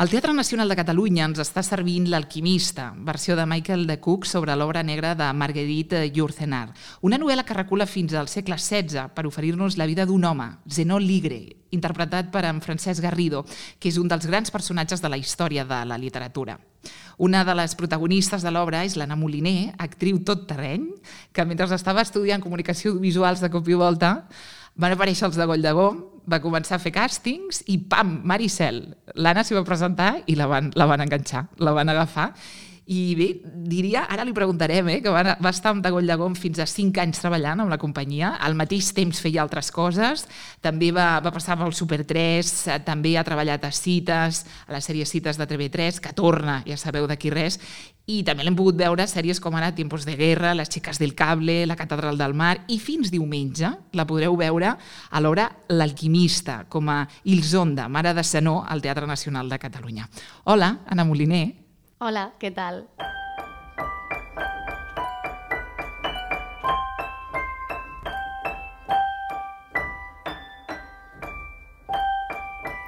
El Teatre Nacional de Catalunya ens està servint L'Alquimista, versió de Michael de Cook sobre l'obra negra de Marguerite Yourcenar, una novel·la que recula fins al segle XVI per oferir-nos la vida d'un home, Zenó Ligre, interpretat per en Francesc Garrido, que és un dels grans personatges de la història de la literatura. Una de les protagonistes de l'obra és l'Anna Moliner, actriu tot terreny, que mentre estava estudiant comunicació visuals de cop i volta van aparèixer els de Golldegó, va començar a fer càstings i pam, Maricel. L'Anna s'hi va presentar i la van enganxar, la van agafar. I bé, diria, ara li preguntarem, que va estar amb de Golldegó fins a 5 anys treballant amb la companyia, al mateix temps feia altres coses, també va passar pel Super 3, també ha treballat a Cites, a la sèrie Cites de TV3, que torna, ja sabeu d'aquí res, i també l'hem pogut veure a sèries com ara Tiempos de Guerra, Les Chicas del Cable, La Catedral del Mar, i fins diumenge la podreu veure a l'obra L'Alquimista, com a Ilsonda, mare de Zenó, al Teatre Nacional de Catalunya. Hola, Anna Moliner. Hola, què tal?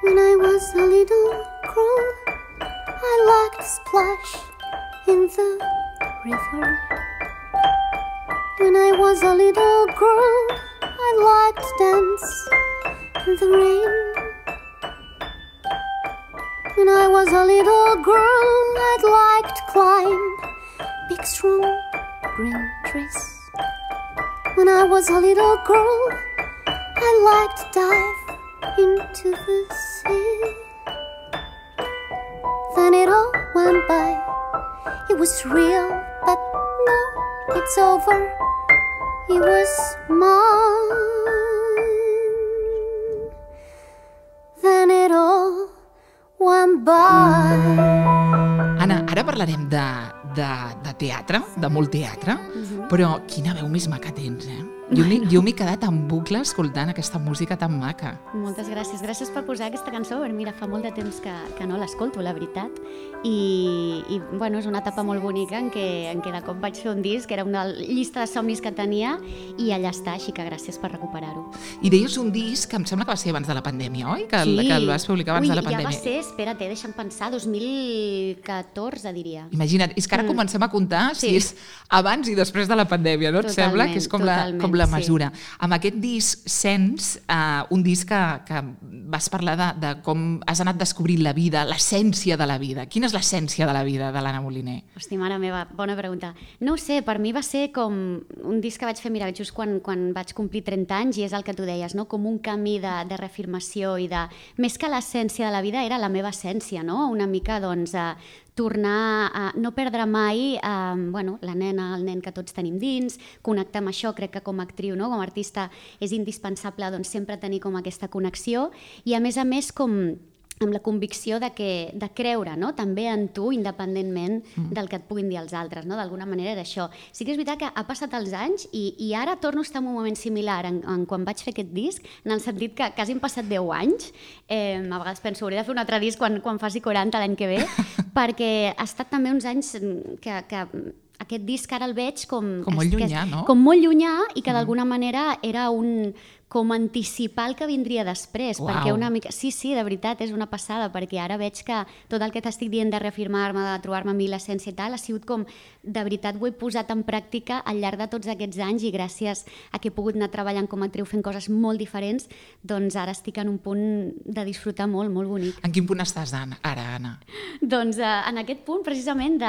When I was a little girl, I liked to splash in the river. When I was a little girl, I liked to dance in the rain. When I was a little girl, I'd like to climb big strong green trees. When I was a little girl, I liked to dive into the sea. Then it all went by. It was real, but no, it's over. It was mine. Then it all went by. Anna, ara parlarem de teatre, de molt teatre, però quina veu més maca tens, Jo m'he quedat en bucle escoltant aquesta música tan maca. Moltes gràcies. Gràcies per posar aquesta cançó. Mira, fa molt de temps que no l'escolto, la veritat. I bueno, és una etapa molt bonica en què de cop vaig fer un disc, que era una llista de somnis que tenia, i allà està, així que gràcies per recuperar-ho. I deies un disc que em sembla que va ser abans de la pandèmia, oi? Que el vas publicar abans de la pandèmia. Ja va ser, espera't, deixa'm pensar, 2014, diria. Imagina't, és que ara comencem a comptar si és abans i després de la pandèmia, no? Et sembla que és com la mesura. Amb aquest disc sents un disc que vas parlar de com has anat descobrint la vida, l'essència de la vida. Quina és l'essència de la vida de l'Anna Moliner? Hosti, mare meva, bona pregunta. No ho sé, per mi va ser com un disc que vaig fer, mira, just quan vaig complir 30 anys, i és el que tu deies, no? Com un camí de reafirmació i de... Més que l'essència de la vida, era la meva essència, no? Una mica, doncs, tornar a no perdre mai la nena, el nen que tots tenim dins, connectar amb això. Crec que com a actriu, no? Com a artista, és indispensable doncs, sempre tenir com aquesta connexió, i a més com amb la convicció de creure, no? També en tu, independentment del que et puguin dir els altres, no? D'alguna manera era això. Sí que és veritat que ha passat els anys i ara torno a estar en un moment similar en quan vaig fer aquest disc, en el sentit que quasi han passat 10 anys. A vegades penso, hauria de fer un altre disc quan faci 40 l'any que ve, perquè ha estat també uns anys que aquest disc ara el veig com molt llunyà, no? Com molt llunyà, i que d'alguna manera era com anticipar el que vindria després. Uau. Perquè una mica... Sí, de veritat, és una passada, perquè ara veig que tot el que t'estic dient de reafirmar-me, de trobar-me a mi l'essència i tal, ha sigut com, de veritat, ho he posat en pràctica al llarg de tots aquests anys, i gràcies a que he pogut anar treballant com a actriu fent coses molt diferents, doncs ara estic en un punt de disfrutar molt, molt bonic. En quin punt estàs ara, Anna? Doncs en aquest punt, precisament,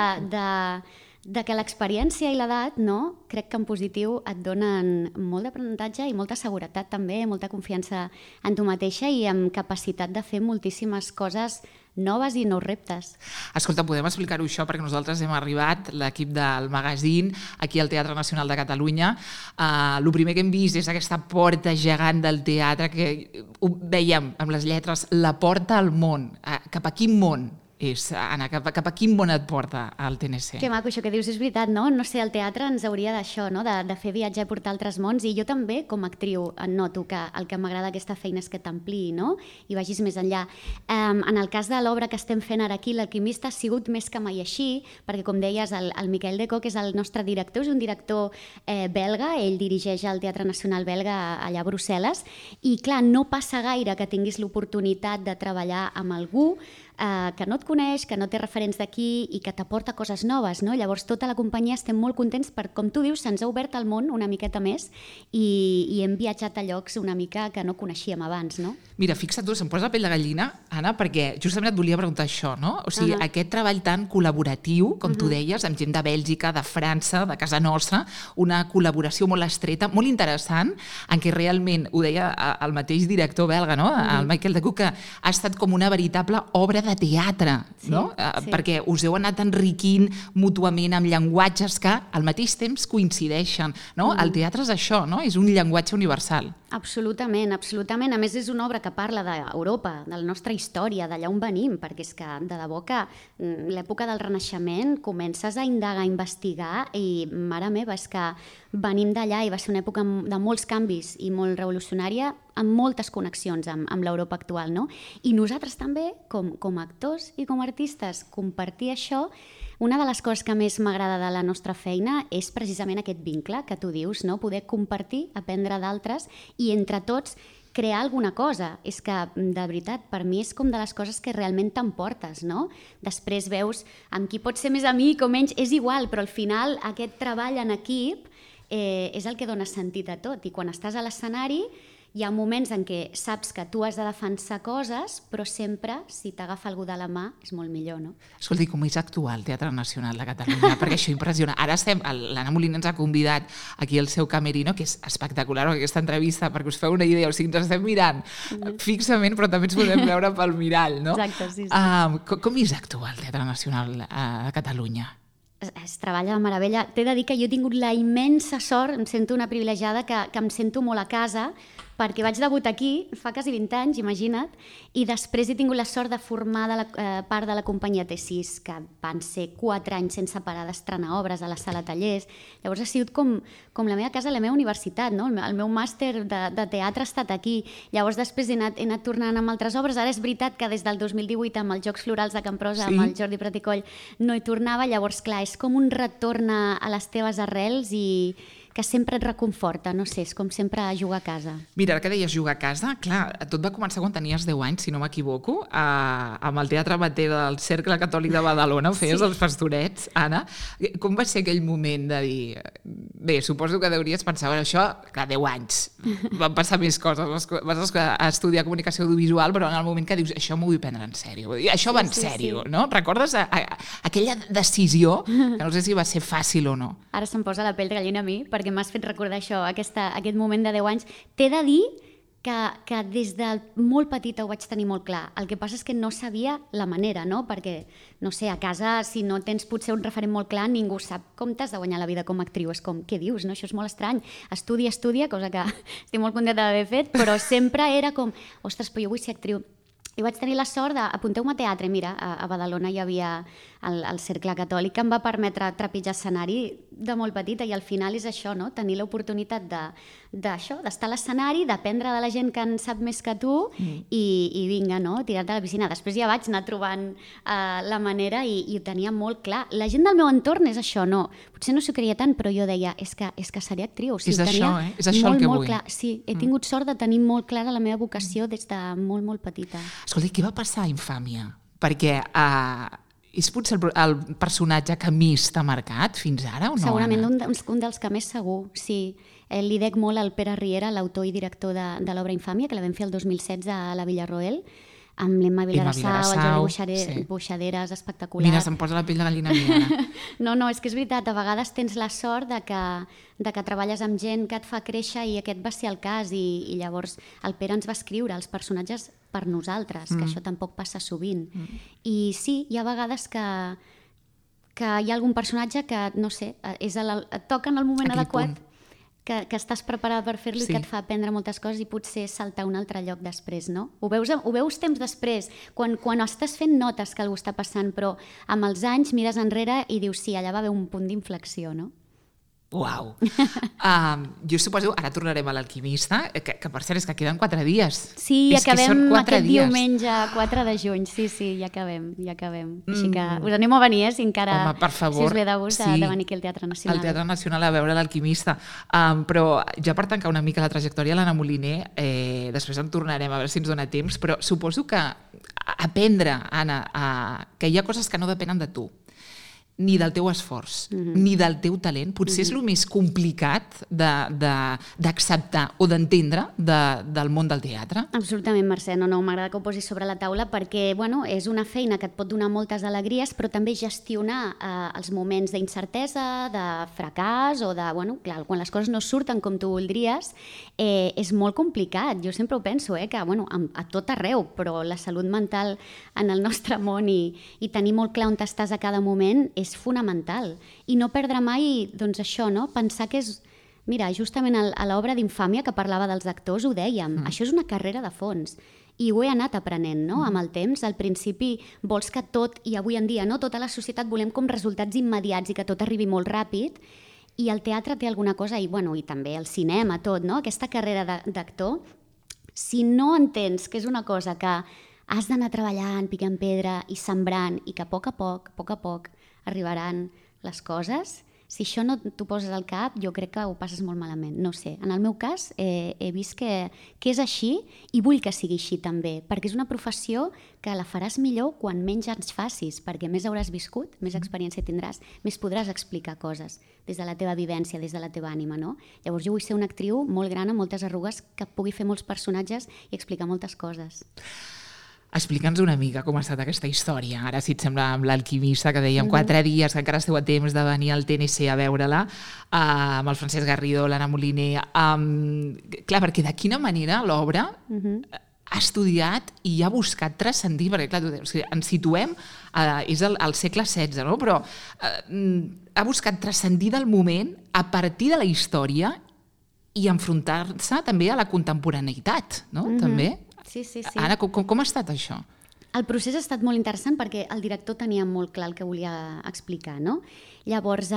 de que l'experiència i l'edat, no? Crec que en positiu et donen molt d'aprenentatge i molta seguretat també, molta confiança en tu mateixa i amb capacitat de fer moltíssimes coses noves i nous reptes. Escolta, podem explicar-ho això, perquè nosaltres hem arribat, l'equip del magazín, aquí al Teatre Nacional de Catalunya. El primer que hem vist és aquesta porta gegant del teatre, que ho veiem amb les lletres, la porta al món. Cap a quin món és, Anna? Cap a quin món et porta el TNC? Que maco això que dius, és veritat, no? No sé, el teatre ens hauria d'això, no? De fer viatjar i portar altres mons, i jo també, com a actriu, noto que el que m'agrada aquesta feina és que t'ampliï, no? I vagis més enllà. En el cas de l'obra que estem fent ara aquí, L'Alquimista, ha sigut més que mai així, perquè, com deies, el Michael de Cock és el nostre director, és un director belga, ell dirigeix el Teatre Nacional belga allà a Brussel·les, i clar, no passa gaire que tinguis l'oportunitat de treballar amb algú que no et coneix, que no té referents d'aquí i que t'aporta coses noves, no? Llavors tota la companyia estem molt contents per, com tu dius, se'ns ha obert el món una miqueta més i hem viatjat a llocs una mica que no coneixíem abans, no? Mira, fixa't tu, se'm posa la pell de gallina, Anna, perquè justament et volia preguntar això, no? O sigui, aquest treball tan col·laboratiu, com tu deies, amb gent de Bèlgica, de França, de casa nostra, una col·laboració molt estreta, molt interessant, en què realment, ho deia el mateix director belga, no? El Michael de Cook, que ha estat com una veritable obra de teatre, no? Perquè us heu anat enriquint mútuament amb llenguatges que al mateix temps coincideixen, no? El teatre és això, no? És un llenguatge universal. Absolutament, absolutament. A més, és una obra que parla d'Europa, de la nostra història, d'allà on venim, perquè és que, de debò que l'època del Renaixement comences a indagar, a investigar, i, mare meva, és que venim d'allà i va ser una època de molts canvis i molt revolucionària, amb moltes connexions amb l'Europa actual, no? I nosaltres també, com a actors i com a artistes, compartir això. Una de les coses que més m'agrada de la nostra feina és precisament aquest vincle que tu dius, no? Poder compartir, aprendre d'altres i entre tots crear alguna cosa. És que, de veritat, per mi és com de les coses que realment t'emportes, no? Després veus amb qui pots ser més amic o menys, és igual, però al final aquest treball en equip és el que dona sentit a tot. I quan estàs a l'escenari hi ha moments en què saps que tu has de defensar coses, però sempre, si t'agafa algú de la mà, és molt millor, no? Escolta, com és actuar al Teatre Nacional de Catalunya? Perquè això impressiona. Ara l'Anna Molina ens ha convidat aquí al seu camerino, que és espectacular aquesta entrevista, perquè us feu una idea, o sigui, ens estem mirant fixament, però també ens podem veure pel mirall, no? Exacte, sí. Com és actuar al Teatre Nacional de Catalunya? Es treballa de meravella. T'he de dir que jo he tingut la immensa sort, em sento una privilegiada, que em sento molt a casa, perquè vaig debutar aquí fa quasi 20 anys, imagina't, i després he tingut la sort de formar part de la companyia T6, que van ser 4 anys sense parar d'estrenar obres a la sala tallers. Llavors ha sigut com la meva casa, la meva universitat, no? El meu màster de teatre ha estat aquí. Llavors després he anat tornant amb altres obres. Ara és veritat que des del 2018 amb els Jocs Florals de Camprosa, amb el Jordi Praticoll, no hi tornava. Llavors, clar, és com un retorn a les teves arrels i que sempre et reconforta, no sé, és com sempre jugar a casa. Mira, ara que deies jugar a casa, clar, tot va començar quan tenies 10 anys, si no m'equivoco, amb el Teatre Amateur del Cercle Catòlic de Badalona, feies els Pastorets, Anna. Com va ser aquell moment de dir... Bé, suposo que deuries pensar, això, clar, 10 anys, van passar més coses, vas estudiar comunicació audiovisual, però en el moment que dius, això m'ho vull prendre en sèrio, això va en sèrio, no? Recordes aquella decisió, que no sé si va ser fàcil o no? Ara se'm posa la pell de gallina a mi, perquè m'has fet recordar això, aquest moment de 10 anys. T'he de dir que des de molt petita ho vaig tenir molt clar. El que passa és que no sabia la manera, no? Perquè, no sé, a casa, si no tens potser un referent molt clar, ningú sap com t'has de guanyar la vida com a actriu. És com, què dius? No? Això és molt estrany. Estudia, cosa que estic molt contenta d'haver fet, però sempre era com, ostres, però jo vull ser actriu. I vaig tenir la sort d'apunteu-me a teatre. Mira, a Badalona hi havia el Cercle Catòlic que em va permetre trepitjar escenari de molt petita i al final és això, no? Tenir l'oportunitat d'estar a l'escenari, d'aprendre de la gent que en sap més que tu i vinga, no? Tirar-te a la piscina. Després ja vaig anar trobant la manera i ho tenia molt clar. La gent del meu entorn és això, no? Potser no s'ho creia tant, però jo deia, és que seré actriu. O sigui, és això, és això el que vull. Clar. Sí, he tingut sort de tenir molt clara la meva vocació des de molt, molt petita. Escolta, què va passar a Infàmia? Perquè és potser el personatge que més t'ha marcat fins ara o no? Segurament un dels que més segur, sí. Li dec molt al Pere Riera, l'autor i director de l'obra Infàmia, que la vam fer el 2016 a la Villarroel, amb l'Emma Vilarassau, el Jordi Buixaderes, espectacular. Mira, se'm posa la pell de gallina a mi, ara. No, és que és veritat, a vegades tens la sort de que treballes amb gent que et fa créixer i aquest va ser el cas i llavors el Pere ens va escriure els personatges per nosaltres, que això tampoc passa sovint. I sí, hi ha vegades que hi ha algun personatge que, no sé, et toca en el moment adequat, que estàs preparada per fer-lo i que et fa aprendre moltes coses i potser saltar a un altre lloc després, no? Ho veus temps després, quan estàs fent notes que algú està passant, però amb els anys mires enrere i dius, sí, allà va haver un punt d'inflexió, no? Uau! Jo suposo, ara tornarem a l'Alquimista, que per cert és que queden 4 dies. Sí, acabem aquest diumenge, 4 de juny, sí, ja acabem. Així que us animo a venir, si encara... Home, per favor. Si us ve de gust de venir aquí al Teatre Nacional. Al Teatre Nacional a veure l'Alquimista. Però ja per tancar una mica la trajectòria de l'Anna Moliner, després en tornarem a veure si ens dona temps, però suposo que aprendre, Anna, que hi ha coses que no depenen de tu, ni del teu esforç, ni del teu talent, potser és el més complicat d'acceptar o d'entendre del món del teatre. Absolutament, Mercè. No, m'agrada que ho posis sobre la taula perquè, bueno, és una feina que et pot donar moltes alegries, però també gestionar els moments d'incertesa, de fracàs o de, bueno, clar, quan les coses no surten com tu voldries, és molt complicat. Jo sempre ho penso, que, bueno, a tot arreu, però la salut mental en el nostre món i tenir molt clar on estàs a cada moment és fonamental. I no perdre mai, doncs això, no? Pensar que és... Mira, justament a l'obra d'Infàmia que parlava dels actors ho dèiem, això és una carrera de fons. I ho he anat aprenent, no? Amb el temps. Al principi vols que tot, i avui en dia, no? Tota la societat volem com resultats immediats i que tot arribi molt ràpid, i el teatre té alguna cosa, i també el cinema, tot, no? Aquesta carrera d'actor, si no entens que és una cosa que has d'anar treballant, picant pedra i sembrant, i que a poc a poc arribaran les coses, si això no t'ho poses al cap, jo crec que ho passes molt malament. No sé, en el meu cas he vist que és així i vull que sigui així també, perquè és una professió que la faràs millor quan menys anys facis, perquè més hauràs viscut, més experiència tindràs, més podràs explicar coses des de la teva vivència, des de la teva ànima, no? Llavors jo vull ser una actriu molt gran, amb moltes arrugues, que pugui fer molts personatges i explicar moltes coses. Explica'ns una mica com ha estat aquesta història. Ara, si et sembla, amb l'Alquimista, que dèiem 4 dies, que encara esteu a temps de venir al TNC a veure-la, amb el Francesc Garrido, l'Anna Moliner. Clar, perquè de quina manera l'obra ha estudiat i ha buscat transcendir, perquè clar, ens situem, és al segle XVI, no? Però ha buscat transcendir del moment a partir de la història i enfrontar-se també a la contemporaneïtat, no? També. Sí. Anna, com ha estat això? El procés ha estat molt interessant perquè el director tenia molt clar el que volia explicar, no? Llavors,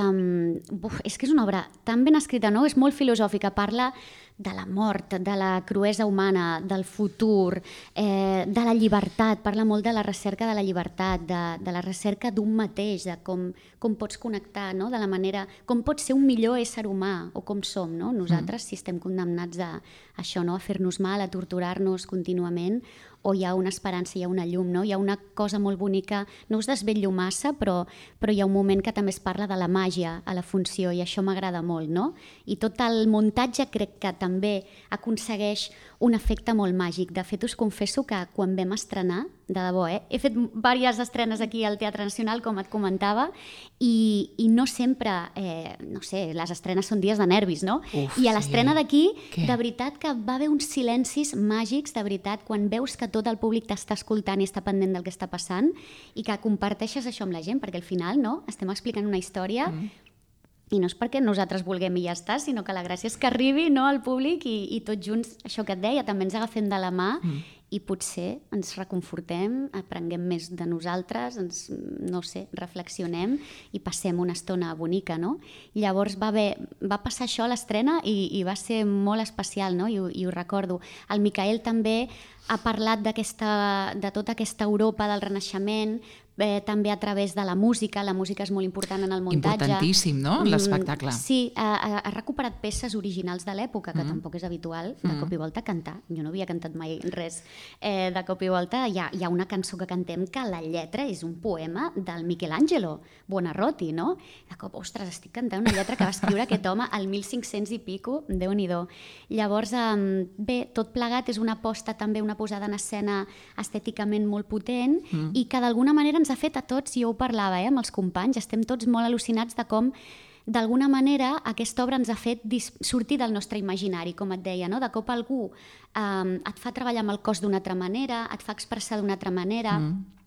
és que és una obra tan ben escrita, no? És molt filosòfica, parla de la mort, de la cruesa humana, del futur, de la llibertat, parla molt de la recerca de la llibertat, de la recerca d'un mateix, de com pots connectar, no? De la manera, com pots ser un millor ésser humà, o com som, no? Nosaltres, si estem condemnats a això, no? A fer-nos mal, a torturar-nos contínuament, o hi ha una esperança, hi ha una llum, no? Hi ha una cosa molt bonica, no us desvetllo massa, però hi ha un moment que també es parla de la màgia a la funció, i això m'agrada molt, no? I tot el muntatge crec que també aconsegueix un efecte molt màgic. De fet, us confesso que quan vam estrenar, de debò, he fet diverses estrenes aquí al Teatre Nacional, com et comentava, i no sempre, no sé, les estrenes són dies de nervis, no? I a l'estrena d'aquí, de veritat que va haver uns silencis màgics, de veritat, quan veus que tot el públic t'està escoltant i està pendent del que està passant i que comparteixes això amb la gent, perquè al final, no?, estem explicant una història i no és perquè nosaltres vulguem i ja està, sinó que la gràcia és que arribi, no, al públic i tots junts, això que et deia, també ens agafem de la mà i potser ens reconfortem, aprenguem més de nosaltres, no sé, reflexionem i passem una estona bonica, no? Llavors va passar això a l'estrena i va ser molt especial, no? I ho recordo. El Micael també ha parlat de tota aquesta Europa del Renaixement, també a través de la música és molt important en el muntatge. Importantíssim, no?, l'espectacle. Sí, ha recuperat peces originals de l'època, que tampoc és habitual, de cop i volta cantar. Jo no havia cantat mai res de cop i volta. Hi ha una cançó que cantem que la lletra és un poema del Michelangelo Buonarroti, no? De cop, ostres, estic cantant una lletra que va escriure aquest home al 1500 i pico, Déu-n'hi-do. Llavors, bé, tot plegat és una aposta també, una posada en escena estèticament molt potent i que d'alguna manera ens ha fet a tots, i jo ho parlava amb els companys, estem tots molt al·lucinats de com d'alguna manera aquesta obra ens ha fet sortir del nostre imaginari, com et deia, no? De cop algú et fa treballar amb el cos d'una altra manera, et fa expressar d'una altra manera.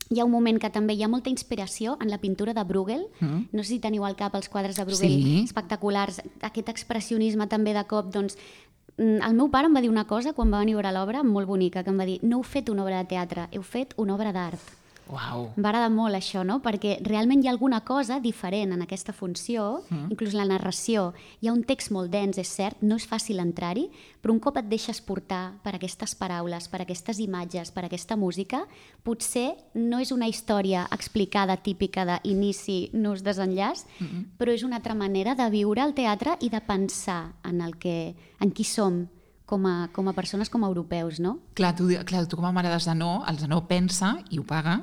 Hi ha un moment que també hi ha molta inspiració en la pintura de Bruegel. No sé si teniu al cap els quadres de Bruegel, espectaculars. Aquest expressionisme també de cop, doncs, el meu pare em va dir una cosa quan va venir a veure l'obra molt bonica, que em va dir: no heu fet una obra de teatre, heu fet una obra d'art. Wow. M'agrada molt això, no? Perquè realment hi ha alguna cosa diferent en aquesta funció, inclús la narració. Hi ha un text molt dens, és cert, no és fàcil entrar-hi, però un cop et deixes portar per aquestes paraules, per aquestes imatges, per aquesta música, potser no és una història explicada típica d'inici, nus, desenllaç, però és una altra manera de viure el teatre i de pensar en qui som com a persones, com a europeus, no? Clar, tu com a mare de Zenó, el Zenó pensa i ho paga,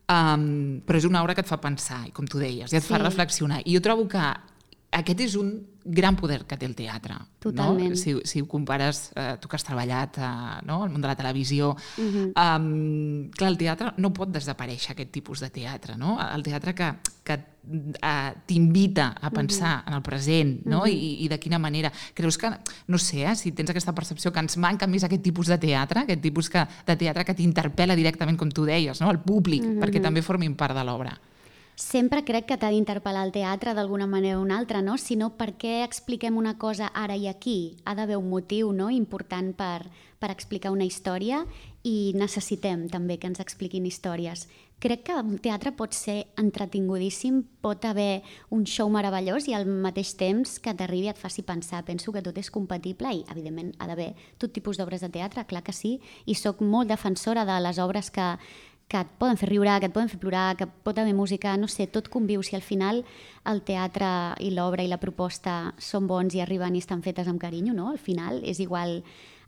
però és una obra que et fa pensar, i com tu deies, i et fa reflexionar. I jo trobo que aquest és un gran poder que té el teatre. Totalment. No? Si ho compares, tu que has treballat no? al món de la televisió, clar, el teatre no pot desaparèixer, aquest tipus de teatre. No? El teatre que t'invita a pensar en el present, no? I de quina manera. Creus que, no sé, si tens aquesta percepció que ens manca més aquest tipus de teatre, aquest tipus de teatre que t'interpel·la directament, com tu deies, no? El públic, perquè també formin part de l'obra. Sempre crec que t'ha d'interpel·lar el teatre d'alguna manera o una altra, no? Si no, per què expliquem una cosa ara i aquí? Ha d'haver un motiu, no? important per explicar una història, i necessitem també que ens expliquin històries. Crec que el teatre pot ser entretingudíssim, pot haver un show meravellós i al mateix temps que t'arribi i et faci pensar. Penso que tot és compatible i, evidentment, ha d'haver tot tipus d'obres de teatre, clar que sí, i sóc molt defensora de les obres que et poden fer riure, que et poden fer plorar, que pot haver música, no sé, tot conviu. Si al final el teatre i l'obra i la proposta són bons i arriben i estan fetes amb carinyo, no? Al final és igual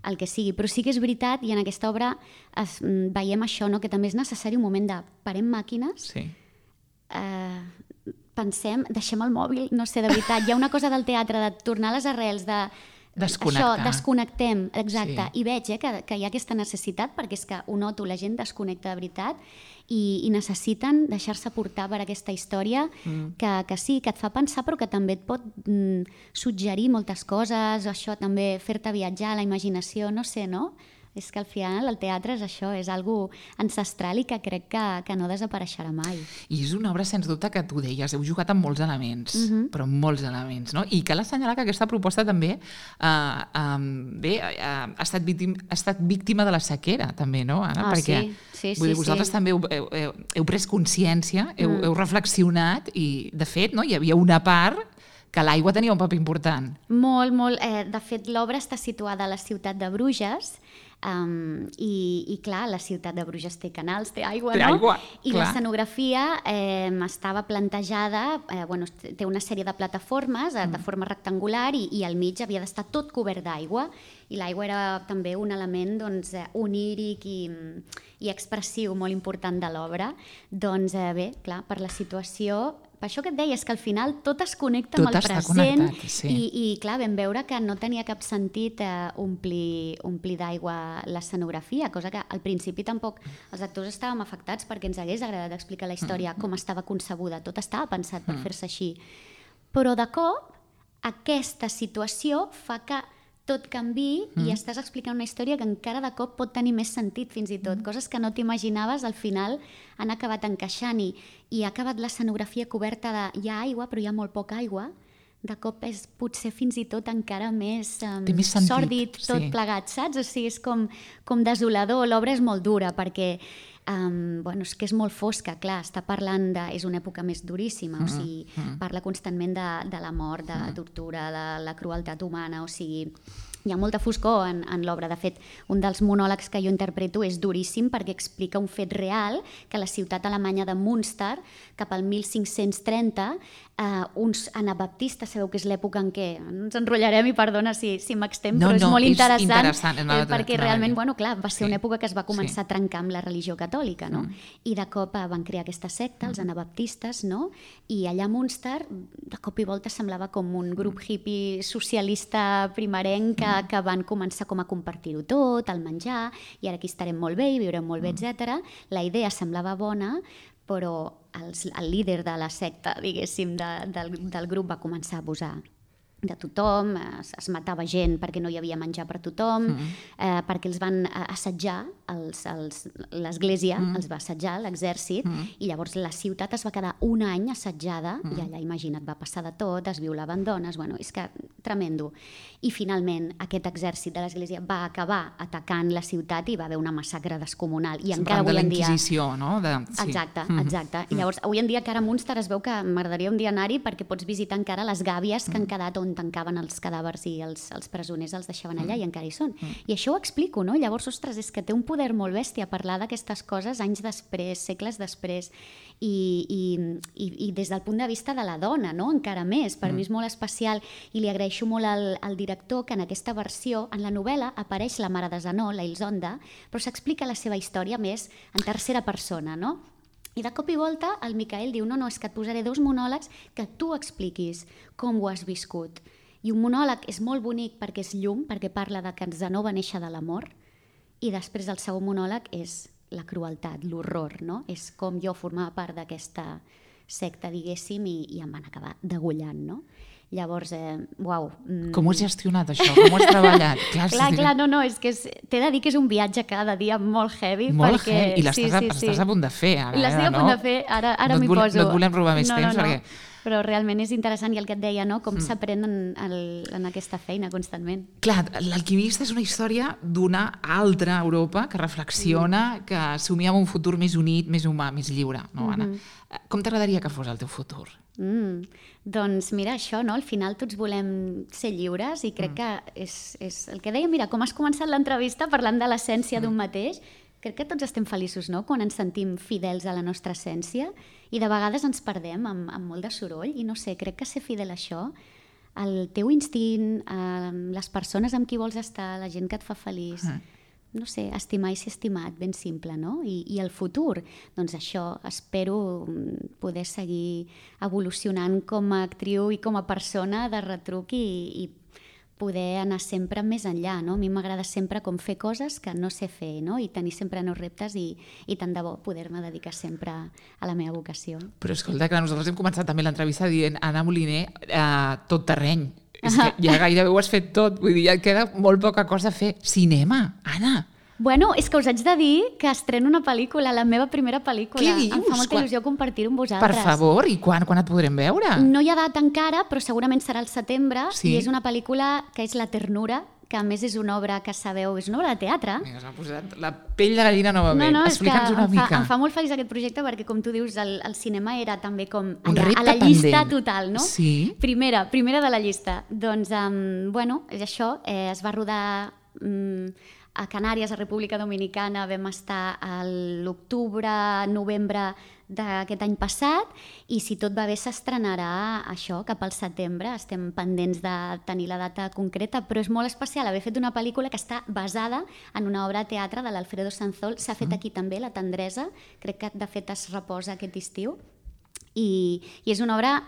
el que sigui. Però sí que és veritat, i en aquesta obra veiem això, no? Que també és necessari un moment de parem màquines, pensem, deixem el mòbil, no sé, de veritat. Hi ha una cosa del teatre de tornar a les arrels, de desconnectar. Això, desconnectem, exacte. I veig que hi ha aquesta necessitat, perquè és que ho noto, la gent desconnecta de veritat i necessiten deixar-se portar per aquesta història que sí, que et fa pensar, però que també et pot suggerir moltes coses, això també, fer-te viatjar, la imaginació, no sé, no? És que al final el teatre és això, és algo ancestral i que crec que no desapareixerà mai. I és una obra, sens dubte, que tu deies, heu jugat amb molts elements, però amb molts elements, no? I cal assenyalar que aquesta proposta també ha estat víctima de la sequera, també, no, Anna? Perquè vull dir, vosaltres també heu pres consciència, heu reflexionat i, de fet, no, hi havia una part que l'aigua tenia un paper important. Molt, molt. De fet, l'obra està situada a la ciutat de Bruges, i clar, la ciutat de Bruges té canals, té aigua, no? Aigua, i l'escenografia estava plantejada, té una sèrie de plataformes de forma rectangular i al mig havia d'estar tot cobert d'aigua, i l'aigua era també un element oníric i expressiu molt important de l'obra. Doncs bé, clar, per la situació, per això que et deia, és que al final tot es connecta amb el present i clar, vam veure que no tenia cap sentit omplir d'aigua l'escenografia, cosa que al principi tampoc els actors estàvem afectats perquè ens hagués agradat explicar la història com estava concebuda, tot estava pensat per fer-se així. Però de cop aquesta situació fa que tot canvi i estàs explicant una història que encara de cop pot tenir més sentit, fins i tot. Coses que no t'imaginaves, al final han acabat encaixant i ha acabat l'escenografia coberta de hi ha aigua, però hi ha molt poca aigua. De cop és potser fins i tot encara més sòrdid tot plegat, saps? O sigui, és com desolador. L'obra és molt dura perquè és que és molt fosca, clar, està parlant és una època més duríssima, o sigui, parla constantment de la mort, de la tortura, de la crueltat humana, o sigui, hi ha molta foscor en l'obra. De fet, un dels monòlegs que jo interpreto és duríssim perquè explica un fet real, que a la ciutat alemanya de Münster, cap al 1530, uns anabaptistes, sabeu que és l'època en què ens enrotllarem i perdona si m'extem, però és molt interessant perquè realment, clar, va ser una època que es va començar a trencar amb la religió catòlica, no? I de cop van crear aquesta secta, els anabaptistes, no? I allà a Münster, de cop i volta semblava com un grup hippie socialista primerenc que van començar com a compartir-ho tot, el menjar, i ara aquí estarem molt bé i viurem molt bé, etc. La idea semblava bona, però el líder de la secta, diguéssim, del grup va començar a abusar de tothom, es matava gent perquè no hi havia menjar per tothom, perquè els van assetjar, l'església els va assetjar, l'exèrcit, i llavors la ciutat es va quedar un any assetjada, i allà, imagina't, va passar de tot, es violaven dones, és que tremendo. I finalment aquest exèrcit de l'església va acabar atacant la ciutat i va haver una massacre descomunal. I encara avui en dia... de la Inquisició, no? Exacte. I llavors, avui en dia encara a Münster es veu que m'agradaria un dia anar-hi perquè pots visitar encara les gàbies que han quedat on on tancaven els cadàvers i els presoners els deixaven allà i encara hi són. I això ho explico, no? Llavors, ostres, és que té un poder molt bèstia parlar d'aquestes coses anys després, segles després, i des del punt de vista de la dona, no? Encara més. Per mi és molt especial i li agraeixo molt al director que en aquesta versió, en la novel·la, apareix la mare de Zenó, la Ilsonda, però s'explica la seva història més en tercera persona, no? I de cop i volta el Micael diu no, és que et posaré 2 monòlegs que tu expliquis com ho has viscut. I un monòleg és molt bonic perquè és llum, perquè parla de que Zenó va néixer de l'amor, i després el segon monòleg és la crueltat, l'horror, no? És com jo formava part d'aquesta secta, diguéssim, i em van acabar degollant, no? Llavors, uau. Com ho has gestionat, això? Com ho has treballat? Clar, no, és que t'he de dir que és un viatge cada dia molt heavy. Molt heavy, i l'estàs a punt de fer, ara. L'estic a punt de fer, ara m'hi poso. No et volem robar més temps, perquè... Però realment és interessant, i el que et deia, no? Com s'aprèn en aquesta feina constantment. Clar, L'Alquimista és una història d'una altra Europa que reflexiona, que somia en un futur més unit, més humà, més lliure, no, Anna? Com t'agradaria que fos el teu futur? Doncs mira, això, no? Al final tots volem ser lliures, i crec que és el que deia, mira, com has començat l'entrevista parlant de l'essència d'un mateix. Crec que tots estem feliços, no?, quan ens sentim fidels a la nostra essència, i de vegades ens perdem amb molt de soroll, i no sé, crec que ser fidel a això, el teu instint, les persones amb qui vols estar, la gent que et fa feliç, no sé, estimar i ser estimat, ben simple, no? I el futur, doncs això, espero poder seguir evolucionant com a actriu i com a persona de retruc, i poder anar sempre més enllà, no? A mi m'agrada sempre com fer coses que no sé fer, no? I tenir sempre nous reptes, i tant de bo poder-me dedicar sempre a la meva vocació. Però escolta, que nosaltres hem començat també l'entrevista dient Anna Moliner, tot terreny. És que ja gairebé ho has fet tot, vull dir, ja et queda molt poca cosa a fer. Cinema, Anna! Bueno, és que us haig de dir que estreno una pel·lícula, la meva primera pel·lícula. Què dius? Em fa molta il·lusió compartir-ho amb vosaltres. Per favor, i quan et podrem veure? No hi ha data encara, però segurament serà al setembre, i és una pel·lícula que és La ternura, que a més és una obra que sabeu, és una obra de teatre. S'ha posat la pell de gallina novament. Explica'ns una mica. Em fa molt feliç aquest projecte perquè, com tu dius, el cinema era també com allà, a la llista total, no? Sí. Primera de la llista. Doncs, bueno, és això, es va rodar a Canàries, a República Dominicana, vam estar a l'octubre, novembre d'aquest any passat, i si tot va bé s'estrenarà això cap al setembre. Estem pendents de tenir la data concreta, però és molt especial haver fet una pel·lícula que està basada en una obra de teatre de l'Alfredo Sanzol. S'ha fet aquí també, La tendresa, crec que de fet es reposa aquest estiu, i és una obra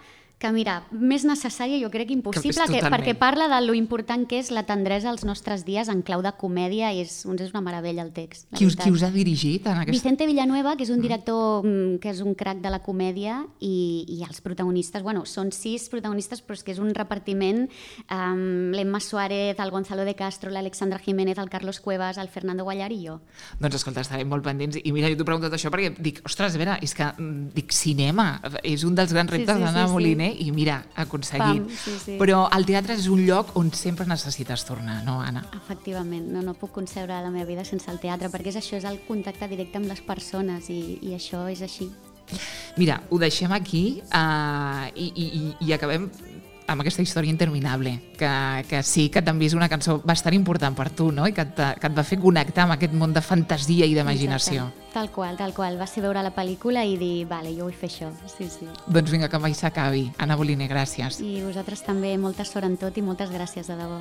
que, mira, més necessària jo crec impossible, perquè parla de lo important que és la tendresa als nostres dies en clau de comèdia, i és una meravella el text. Qui us ha dirigit en aquesta? Vicente Villanueva, que és un director que és un crac de la comèdia, i els protagonistes, bueno, són 6 protagonistes, però és que és un repartiment, l'Emma Suárez, el Gonzalo de Castro, l'Alexandra Jiménez, el Carlos Cuevas, el Fernando Guallar i jo. Doncs escolta, estarem molt pendents, i mira, jo t'ho he preguntat això perquè dic, ostres, a veure, és que cinema és un dels grans reptes d'Anna Moliner, i mira, aconseguit. Però el teatre és un lloc on sempre necessites tornar, no, Anna? Efectivament, no puc concebre la meva vida sense el teatre, perquè és el contacte directe amb les persones, i això és així. Mira, ho deixem aquí i acabem amb aquesta història interminable, que sí que també és una cançó bastant important per tu, no? I que et va fer connectar amb aquest món de fantasia i d'imaginació. Tal qual. Va ser veure la pel·lícula i dir, vale, jo vull fer això. Sí. Doncs vinga, que mai s'acabi. Anna Moliner, gràcies. I vosaltres també, molta sort en tot, i moltes gràcies, de debò.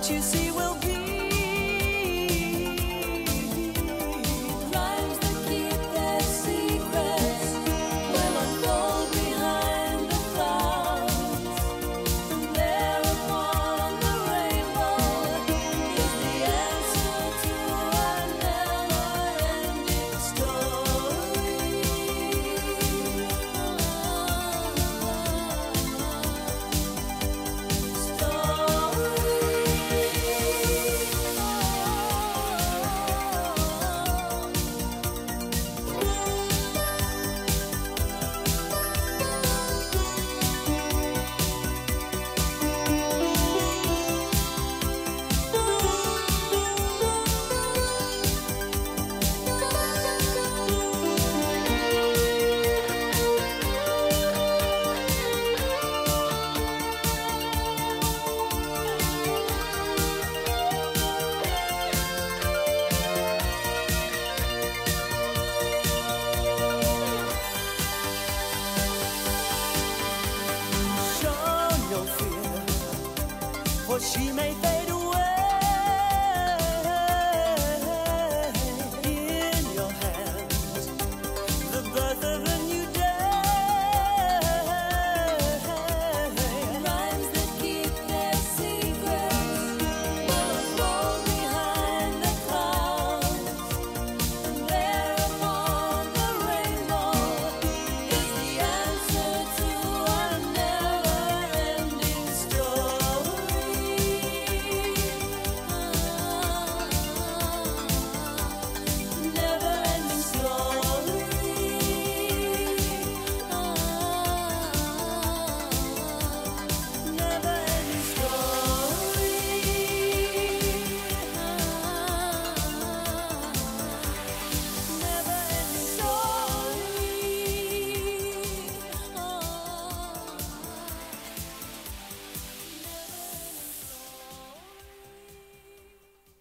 You see will be she may